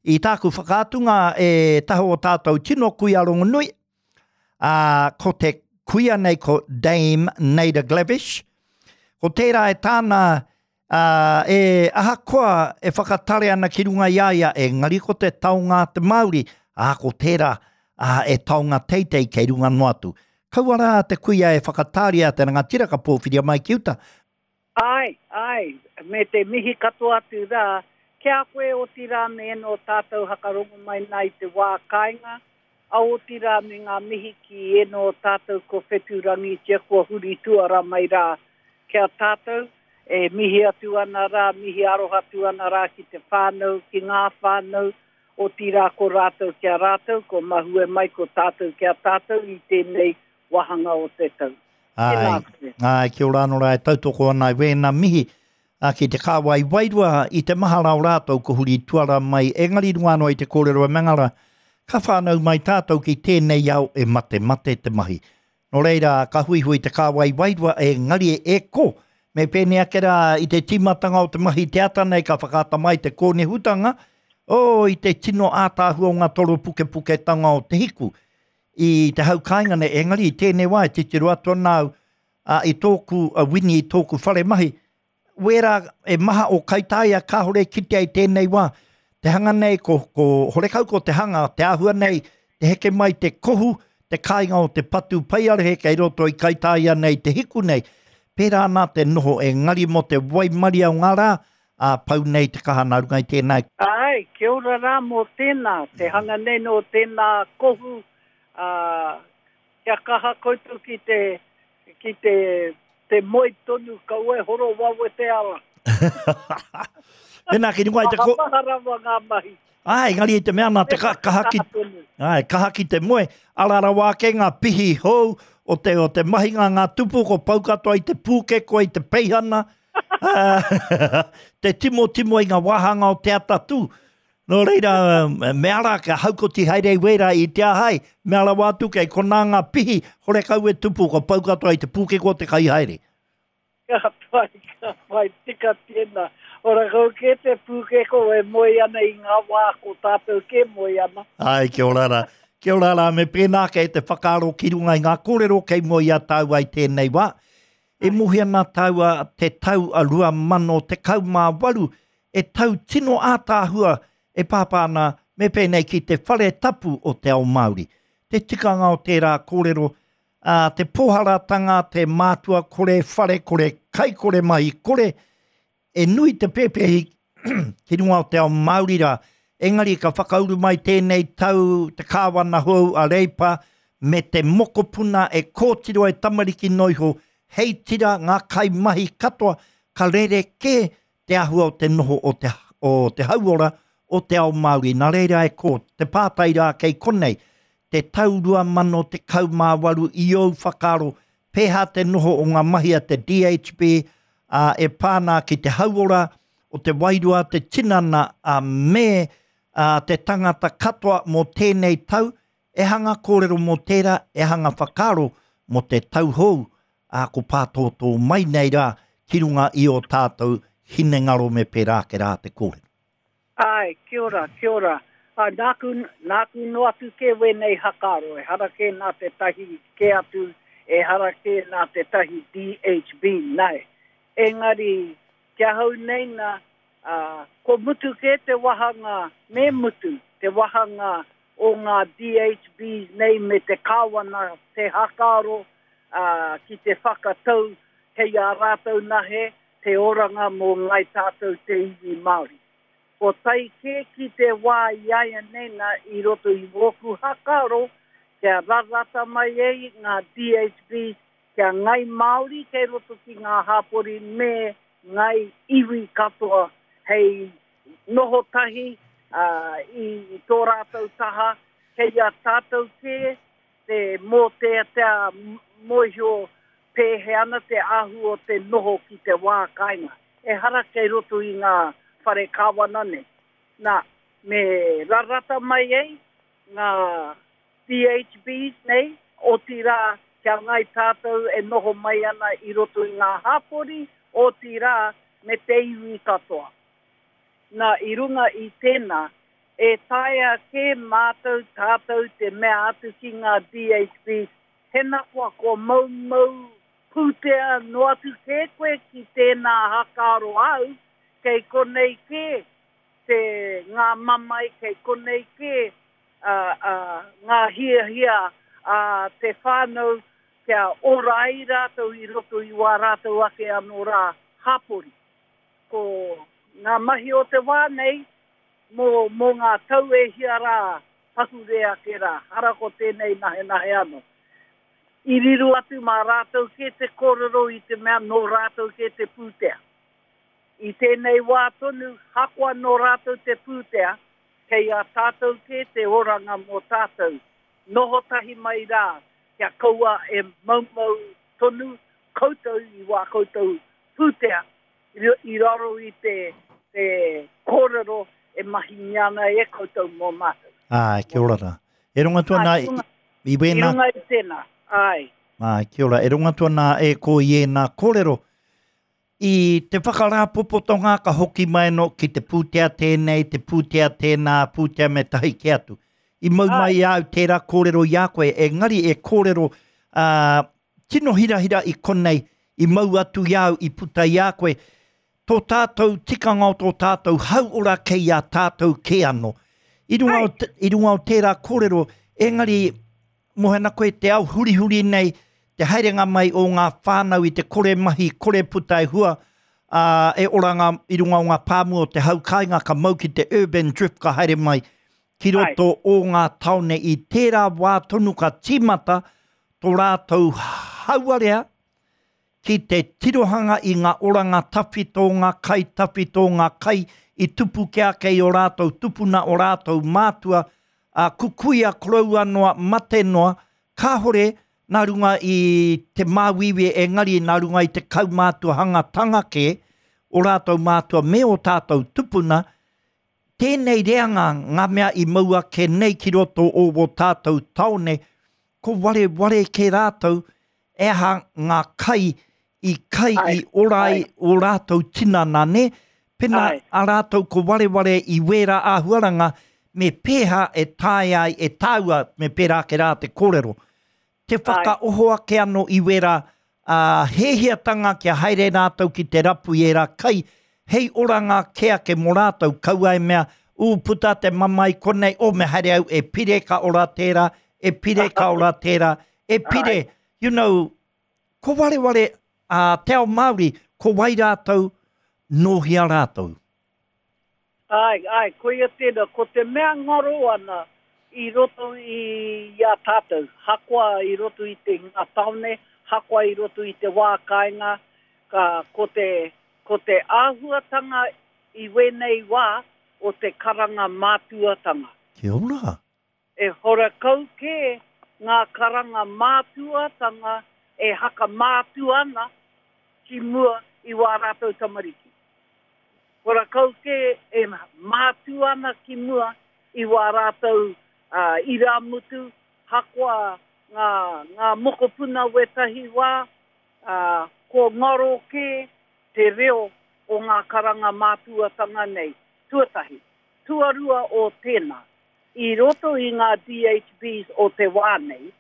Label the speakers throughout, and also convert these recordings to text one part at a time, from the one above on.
Speaker 1: I tāku whakaatunga e taha o tātou tino kuia rongonui, ā, ko te kuia nei ko Dame Naida Glavish. Ko tērā e tāna, ā, e ahakoa e whakatare ana ki runga i a ia, engari ko te taonga a te Māori, ā, ko tērā, ā, e taonga teitei kei runga noa atu. Kaua rā te kuia e whakatāria te rangatira ka pōwhiria mai ki uta.
Speaker 2: Āe, āe, me te mihi katoa atu rā ki a koe otirā me ēnō tātou hakarongo mai nā i te wā kāinga, a otirā me ngā mihi ki ēnō tātou kua whetūrangitia, kua huri tuara mai rā ki a tātou, e mihi atu ana rā, mihi aroha atu ana rā ki te whānau, ki ngā whānau, otirā ko rātou ki a rātou, kua mahue mai ko tātou ki a tātou i tēnei wāhanga o te tau.
Speaker 1: Tēnā koe. Āe, kia ora anō rā e tautoko ana i wēnā mihi ki te kāwai wairua i te mahara o rātou ko huri tuara mai engari runga anō i te kōrero e Mangara, ka whānau mai tātou ki tēnei ao e matemate te mahi. Nō reira, ka huihui te kāwai wairua engari e ko, me pēnei ake rā i te tīmatanga o te mahi te ata nei ka whakaata mai te kōnehutanga, oh, i te tino ātaahua o ngā toropukepuketanga o te hiku. I te hau kāinga nei, engari i tēnei wā e titiro atu ana au ā, i tōku a Wini, i tōku whare mahi, wērā e maha o Kaitaia kāore e kitea i tēnei wā. Te hanga nei, ko, ko horekau ko te hanga, te āhua nei, te heke mai te kohu, te kāinga o te patu paiarehe kei roto i Kaitaia nei, te hiku nei. Pērā ana te noho, engari mō te waimaria o ngā rā, ā, pau nei te kaha nā runga i tēnā.
Speaker 2: Āe, kia ora rā mō tēnā, te hanga nei nō tēnā kohu, ā, kia kaha koutou ki te, ki te, te moe tonu, kaua e horo wawe te ara.
Speaker 1: Tēnā, ki runga i te ko...
Speaker 2: Maha rawa ngā mahi.
Speaker 1: Āe, engari i te mea nā te ka, kaha ki, āe, kaha ki te moe, ara rawa ake ngā pihi hou o te, o te mahinga ngā tupu, ko pau katoa i te pūkeko, i te peihana, te timotimo i ngā wāhanga o te atatū. Nō reira, me ara kia haukoti haere i wērā i te ahai, mea rawa atu kei konā ngā pihi, horekau e tupu, kua pau katoa i te pūkeko o te kai haere.
Speaker 2: Ka pai, ka pai, tika tēnā. Horekau kē te pūkeko e moe ana i ngā wā ko tātou kē moe ana.
Speaker 1: Āe, kia ora rā. Kia ora rā, me pēnā kei te whakaaro ki runga i ngā kōrero kei mua i a tāua i tēnei wā. E mohi ana tāua te tau a 2018 e tau tino ātaahua e pāpā ana me pēnei ki te whare tapu o te ao Māori. Te tikanga o tērā kōrero, ā, te pōharatanga, te mātua kore, whare kore, kai kore, mahi kore, E nui te pēpehi ki runga o te ao Māori rā, engari ka whakauru mai tēnei tau te kāwana hou a Reipa me te mokopuna e kōtiro e tamariki noiho hei tira ngā kaimahi katoa ka rerekē te āhua o te noho o te, o te hauora o te ao Māori. Nā reira e kō, te pātai rā kei konei, te tau 2018 i ōu whakaaro pēhā te noho o ngā mahi a te DHB, ā, e pā ana ki te hauora o te wairua, te tinana, ā, me, ā, te tangata katoa mō tēnei tau, e hanga kōrero mō tērā, e hanga whakaaro mō te tau hou, ā, ko pātōtō mai nei rā ki runga i ō tātou hinengaro me pērā ake rā te kōrero.
Speaker 2: Āe, kia ora, kia ora. Ā, nāku, nāku noa atu kē wēnei hakaaro, ehara kē nā tētahi kē atu, ehara kē nā tētahi DHB, nae. Engari, ki ahau nei nā, ā, kua mutu kē te wahanga, me mutu te wahanga o ngā DHBs nei me te kāwana te hakaaro, ā, ki te whakatau kei a rātou nahe te oranga mō ngāi tātou te iwi Māori. Ko tae kē ki te wā i āianei nā i roto i wōku hakaaro kia rarata mai ai ngā DHBs kia ngāi Māori kei roto ki ngā hāpori me ngāi iwi katoa hei noho tahi i tō rātou taha kei a tātou kē te mōteatea mōhio pēhea ana te āhua o te noho ki te wā kāinga. Ehara kei roto i ngā whare kāwana nei. Nā, me rarata mai ai ngā DHBs nei, otirā kia ngāi tātou e noho mai ana i roto i ngā hāpori, otirā me te iwi katoa. Nā, i runga i tēnā, E taea kē mātou tātou te mea atu ki ngā DHBs, hena koa kua moumou pūtea noa atu kē koe ki tēnā hakaaro āu, kei konei kē te ngā mamae, kei konei kē ngā hiahia a te whānau kia ora ai rātou i roto i wā rātou ake anō rā hapori. Ko ngā mahi o te wā nei mō, mō ngā tau e hia rā pahure ake rā, hara ko tēnei nahenahe anō. I riro atu mā rātou kē te kōrero i te mea nō rātou kē te pūtea. I tēnei wā tonu, hakoa nō rātou te pūtea, kei a tātou kē te oranga mō tātou. Noho tahi mai rā, kia kaua e moumou tonu koutou i wā koutou pūtea i raro i te te kōrero e mahingia ana e koutou mō mātou.
Speaker 1: Āe, kia ora rā. E rongo atu ana i, i
Speaker 2: wēnā... I runga i tēnā, āe.
Speaker 1: Āe, kia ora. E rongo atu ana e ko i ēnā kōrero. I te whakarāpopotonga ka hoki mai anō ki te pūtea tēnei, te pūtea tēnā, pūtea me tahi kē atu. I mau mai i a au tērā kōrero i a koe, engari e kōrero ā, tino hirahira i konei, i mau atu i a au, i puta i a koe, tō tātou tikanga o tō tātou hauora kei a tātou kē anō. I runga o, i runga o tērā kōrero, engari Moe ana koe te ao hurihuri nei, te haerenga mai o ngā whānau i te kore mahi, kore puta e hua, ā, e ora ngā, i runga o ngā pāmu o te hau kāinga ka mau ki te urban drift ka haere mai ki roto o ngā taone i tērā wā tonu ka tīmata tō rātou hauarea ki te tirohanga i ngā oranga tawhito, ngā kai tawhito, ngā kai i tupu ke ake i o rātou tupuna, o rātou mātua, ā, kukuia koroua noa, mate noa, kāhore nā runga i te māuiui engari nā runga i te kaumātuahangatanga kē o rātou mātua me o tātou tupuna, tēnei reanga ngā mea i mau ake nei ki roto o wō tātou taone, ko wareware kē rātou e aha ngā kai i kai i ora ai ō rātou tinana, nē? Pena a rātou ko wareware i wērā āhuaranga, me pēhā e taea ai e tāua, me pērā ake rā te kōrero. Te whakaoho ake anō i wērā hēhiatanga kia haere rātou ki te rapu i ērā kai, hei oranga kē ake mō rātou, kaua e mea, ū, puta te mamae konei, oh, me haere au e pire ka ora tērā, e pire ka ora tērā, e pire, you know, ko wareware a te ao Māori, ko wai rātou, nō hea rātou?
Speaker 2: Āe, āe, koia tēnā, ko te mea ngaro ana i roto i a tātou, hakoa i roto i te ngā tāone, hakoa i roto i te wā kāinga, ka, ko te, ko te āhuatanga i wēnei wā o te karanga mātuatanga.
Speaker 1: Kia ora.
Speaker 2: E horakau kē ngā karanga mātuatanga e hakamātua ana ki mua i wā rātou tamariki. Horakau kē e mātua ana ki mua i wā rātou irāmutu, hakoa ngā, ngā mokopuna wētahi wā, ā, kua ngaro kē te reo o ngā karanga mātuatanga nei, tuatahi. Tuarua o tēnā, i roto i ngā DHBs o te wā nei,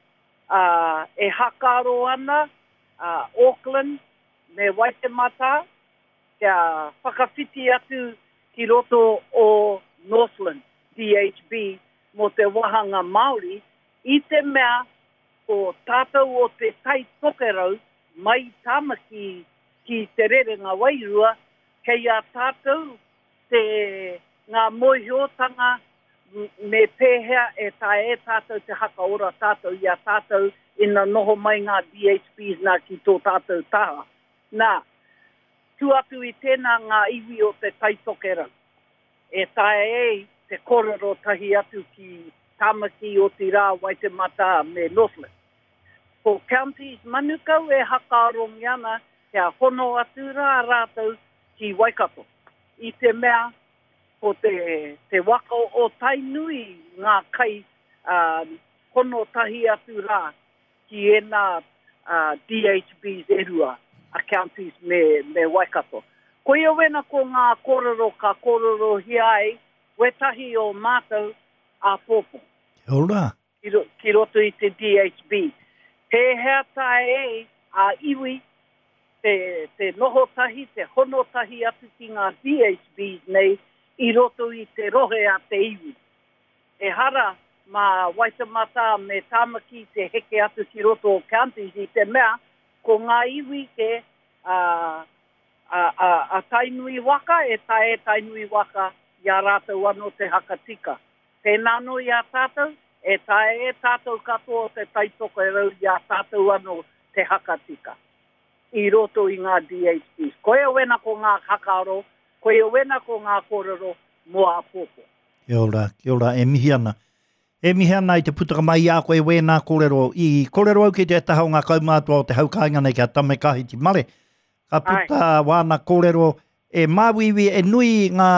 Speaker 2: ā, e hakaaro ana a Auckland me Waitematā kia whakawhiti atu ki roto o Northland DHB mō te wāhanga Māori, i te mea ko tātou o Te Tai Tokerau mai i Tāmaki ki Te Rerenga Wairua, kei a tātou te, ngā mōhiotanga me pēhea e taea e tātou te hakaora tātou i a tātou ina noho mai ngā DHBs nā ki tō tātou taha. Nā, tua atu i tēnā ngā iwi o Te Tai Tokerau e taea ai te kōrero tahi atu ki Tāmaki, otirā Waitematā me Northland. Ko Counties Manukau e hakaarongia ana kia hono atu rā rātou ki Waikato. I te mea ko te, te waka o Tainui ngā kai ā, hono tahi atu rā ki ēnā ā, DHBs e rua, a Counties me, me Waikato. Koia wena ko ngā kōrero ka kōrerohia ai. Wētahi o mātou āpōpō.
Speaker 1: Kia ora.
Speaker 2: Ki, ki roto i te DHB. Pēhea tae ai a iwi te, te noho tahi, te hono tahi atu ki ngā DHBs nei i roto i te rohe a te iwi. Ehara mā Waitematā me Tāmaki te heke atu ki roto o counties i te mea ko ngā iwi kē a, a, a, a Tainui waka e tae e Tainui waka i a rātou anō te haka tika. Pēnā anō i a tātou, e taea e tātou katoa o Te Tai Tokerau i a tātou anō te haka tika i roto i ngā DHBs. Koia wena ko ngā hakaaro, koia wena ko ngā kōrero mō āpōpō.
Speaker 1: Kia ora, kia ora, e mihi ana. E mihi ana i te putaka mai i a koe wēnā kōrero. I kōrero au ki te taha o ngā kaumātua o te hau kāinga nei ki a Tame Kahiti Mare. Ka puta wāna kōrero, e māuiui, e nui ngā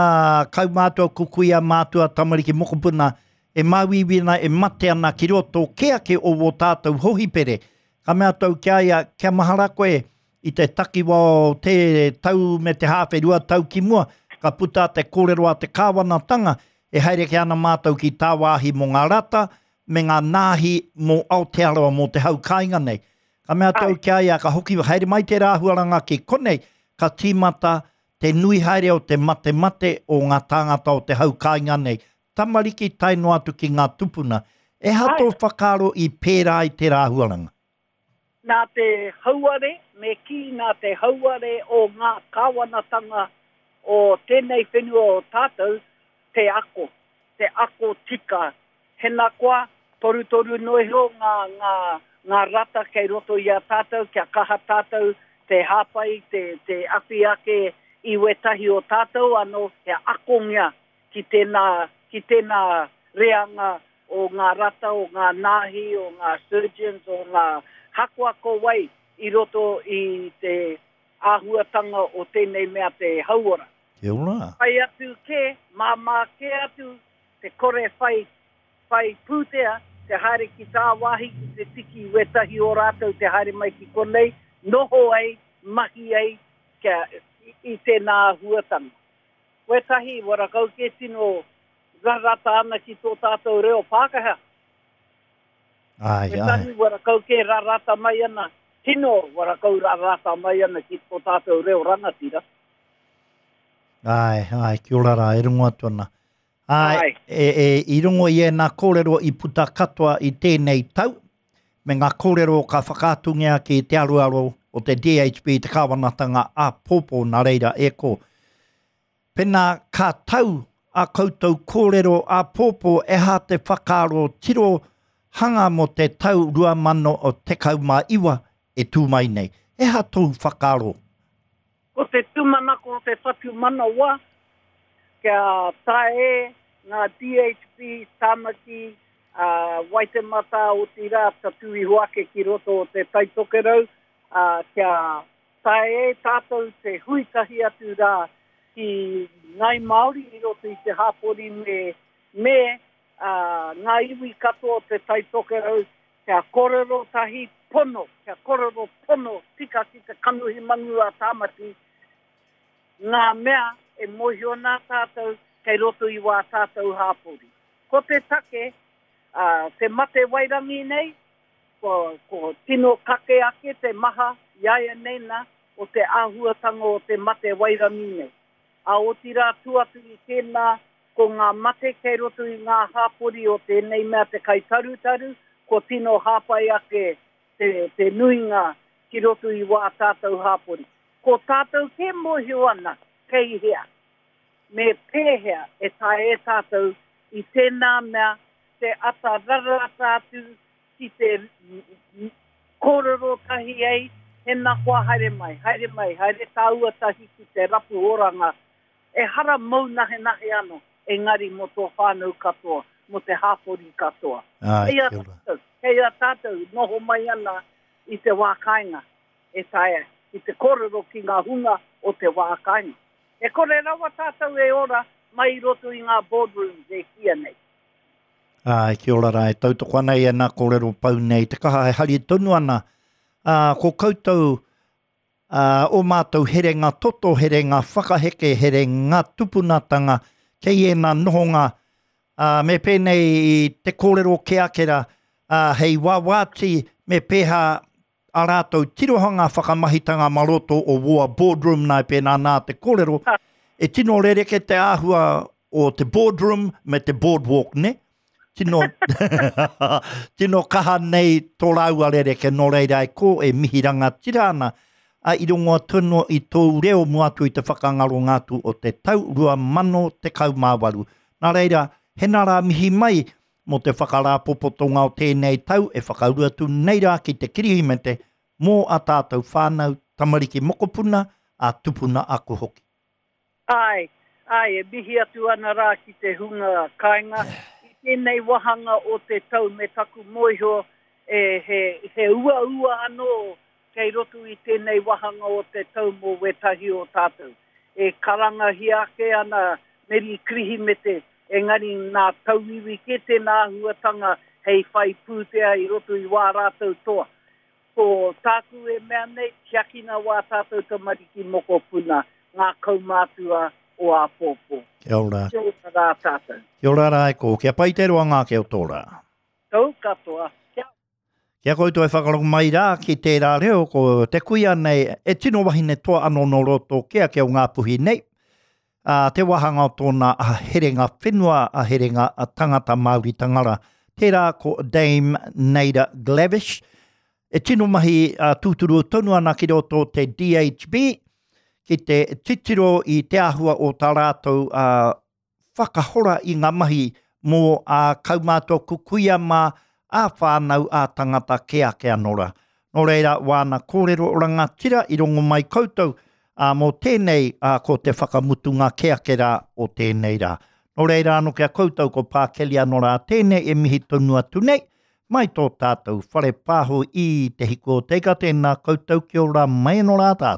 Speaker 1: kaumātua, kukuia, mātua, tamariki, mokopuna, e māuiui ana, e mate ana ki roto kē ake o wō tātou hohipere. Ka mea atu au ki a ia, kia mahara koe i te takiwa o te tau me te hāwhe 2 tau ki mua, ka puta te kōrero a te kāwanatanga, e haere kē ana mātou ki tāwāhi mō ngā rata me ngā nāhi mō Aotearoa, mō te hau kāinga nei. Ka mea atu au ki a ia, ka hoki haere mai tērā āhuaranga ki konei, ka tīmata te nui haere o te matemate o ngā tāngata o te hau kāinga nei, tamariki tae noa atu ki ngā tupuna. E aha tō whakaaro i pērā ai tērā āhuaranga?
Speaker 2: Nā te hauare, me kī nā te hauare o ngā kāwanatanga o tēnei whenua o tātou te ako, te ako tika Hena koa, torutoru noa iho ngā, ngā, ngā rata kei roto i a tātou kia kaha tātou te hāpai, te, te awhi ake i wētahi o tātou anō kia akongia ki tēnā, ki tēnā reanga o ngā rata, o ngā nāhi, o ngā surgeons, o ngā hakoa ko wai i roto i te āhuatanga o tēnei mea te hauora.
Speaker 1: Kia ora.
Speaker 2: Pai atu kē, māmā kē atu te kore whai whai pūtea te haere ki tāwāhi ki te tiki i wētahi o rātou te haere mai ki konei, noho ai, mahi ai kia i tēnā āhuatanga. Wētahi warakau kē tino rarata ana ki tō tātou reo Pākehā.
Speaker 1: Āe, āe.
Speaker 2: Wētahi warakau kē rarata mai ana, tino warakau rarata mai ana ki tō tātou reo rangatira.
Speaker 1: Āe, āe, kia ora rā, e rongo atu ana. Āe, e, e, i rongo i ēnā kōrero i puta katoa i tēnei tau, me ngā kōrero ka whakaatungia ki te aroaro o te DHB, te kāwanatanga āpōpō, nā reira e kō. Pēnā ka tau a koutou kōrero āpōpō e hā te whakaaro tiro hanga mō te tau 2019 e tū mai nei. E hā tōu whakaaro?
Speaker 2: Ko te tūmanako o te whatumanawa kia tae ngā DHB, Tāmaki, Waitematā, otirā tatū iho ake ki roto o Te Tai Tokerau, ā, kia tae e tātou te hui tahi atu rā ki Ngāi Māori i roto i te hāpori me, me, ā, ngā iwi katoa o Te Tai Tokerau Kia korero tahi pono, kia korero pono tika ki te kanohi mangu a Tāmati, ngā mea e mōhio nā tātou kei roto i wā tātou hāpori. Ko te take, ā, te mate wairangi nei, kua, kua tino kake ake te maha iaianei nā o te āhuatanga o te mate wairangi nei. Ā, otirā tū atu i tēnā, ko ngā mate kei roto i ngā hāpori o tēnei mea te kai tarutaru, kua tino hāpai ake te, te nuinga ki roto i wā tātou hāpori. Ko tātou kē mōhio ana kei hea, me pēhea e taea e tātou i tēnā mea te ata rarata atu ki te kōrero tahi ai, hena koa haere mai, haere mai, haere tāua tahi ki te rapu oranga, ehara mōu nahenahe ano, engari mō tō whānau katoa, mō te hāpori katoa.
Speaker 1: Āe,
Speaker 2: Kei a
Speaker 1: kia ora.
Speaker 2: tātou, kei a tātou noho mai ana i te wā kāinga e taea ki te kōrero ki ngā hunga o te wā kāinga. E kore rawa tātou e ora mai i roto i ngā boardrooms e kīia nei.
Speaker 1: Āe, kia ora rā, e tautoko ana i ēnā kōrero pau nei, te kaha e hari tonu ana, ā, ko koutou, ā, ō mātou herenga toto, herenga whakaheke, herenga tupunatanga Kei ēnā nohonga, ā, me pēnei i te kōrero kē ake rā, ā, hei wāwāti me pēhā ā rātou tirohanga whakamahitanga mā roto o wōa boardroom nā e pēnā nā te kōrero, e tino rereke te āhua o te boardroom me te boardwalk, ne? Tino, tino kaha nei tō rāua rereke, nō reira e kō e mihi rangatira ana, a i rongo atu anō i tōu reo mua atu i te whakangaronga atu o te tau 2018. Nā reira, hena rā mihi mai mō te whakarāpopotonga o tēnei tau e whakauru atu nei rā ki te Kirihimete mō a tātou whānau, tamariki mokopuna, a tupuna ako hoki.
Speaker 2: Āe, āe, e mihi atu ana rā ki te hunga kāinga i tēnei wāhanga o te tau me taku mōhio e, he, he uaua anō kei roto i tēnei wāhanga o te tau mō wētahi o tātou. E karangahia ake ana Meri Kirihimete, engari nā tauiwi kē tēnā āhuatanga hei whai pūtea i roto i wā rātou toa. Ko tāku e mea nei, tiakina wā tātou tamariki mokopuna, ngā kaumātua o āpōpō.
Speaker 1: Kia ora.
Speaker 2: Kia ora rā tātou.
Speaker 1: Kia ora rā e kō. Kia pai te roanga ake o tō rā.
Speaker 2: Tau katoa. Kia.
Speaker 1: Ki a koutou e whakarongo mai rā ki tērā reo, ko te kuia nei e tino wahine toa anō nō roto kē ake o Ngāpuhi nei, ā, te wāhanga o tōna herenga whenua, a herenga tangata Māoritanga rā. Tērā ko Dame Naida Glavish, e tino mahi tūturu tonu ana ki roto o te DHB, ki te titiro i te āhua o tā rātou whakahora i ngā mahi mō ā kaumātua kukuia mā, ā whānau, ā tangata kē ake anō rā. Nō reira, wāna kōrero rangatira i rongo mai koutou, ā, mō tēnei, ā, ko te whakamutunga kē ake rā o tēnei rā. Nō reira anō ki a koutou ko Pā Kelly anō rā tēnei e mihi tonu atu nei, mai tō tātou whare pāho i Te Hiku o Te Ika, tēnā koutou kia ora mai anō rā tātou.